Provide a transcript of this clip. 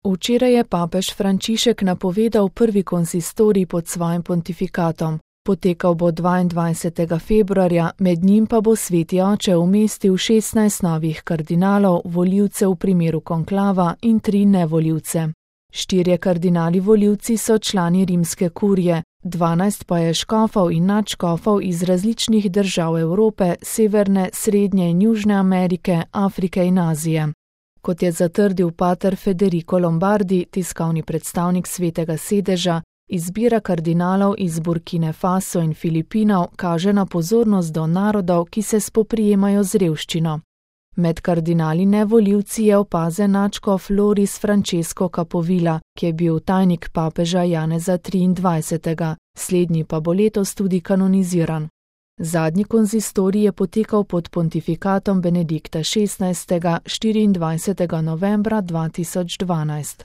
Včeraj je papež Frančišek napovedal prvi konsistorij pod svojim pontifikatom. Potekal bo 22. februarja, med njim pa bo Sveti oče umestil 16 novih kardinalov, volivcev v primeru konklava in 3 nevolivce. 4 kardinali volivci so člani rimske kurije, 12 pa je škofov in nadškofov iz različnih držav Evrope, Severne, Srednje in Južne Amerike, Afrike in Azije. Kot je zatrdil pater Federico Lombardi, tiskovni predstavnik Svetega sedeža, izbira kardinalov iz Burkine Faso in Filipinov kaže na pozornost do narodov, ki se spoprijemajo z revščino. Med kardinali nevolivci je opazen nadškof Loris Francesco Capovilla, ki je bil tajnik papeža Janeza 23., slednji pa bo letos tudi kanoniziran. Zadnji konzistorij je potekal pod pontifikatom Benedikta XVI. 24. novembra 2012.